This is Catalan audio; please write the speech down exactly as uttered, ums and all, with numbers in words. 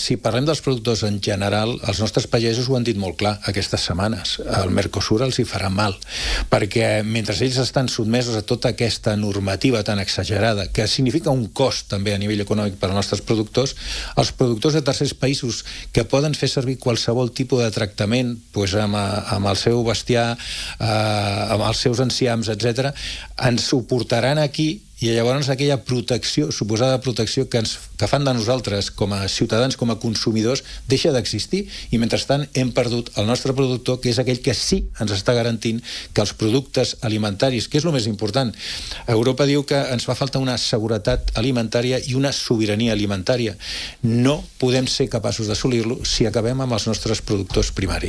si parlem dels productors en general, els nostres pagesos ho han dit molt clar aquestes setmanes. El Mercosur els hi farà mal, perquè mentre ells estan sotmesos a tota aquesta normativa tan exagerada, que significa un cost també a nivell econòmic per als nostres productors, els productors de tercers països que poden fer servir qualsevol tipus de tractament doncs amb, amb el seu bestiar, eh, amb els seus enciams, etcètera, ens ho portaran aquí i llavors aquella protecció, suposada protecció que, ens, que fan de nosaltres com a ciutadans, com a consumidors, deixa d'existir i mentrestant hem perdut el nostre productor, que és aquell que sí ens està garantint que els productes alimentaris, que és el més important, Europa diu que ens fa falta una seguretat alimentària i una sobirania alimentària. No podem ser capaços d'assolir-lo si acabem amb els nostres productors primaris.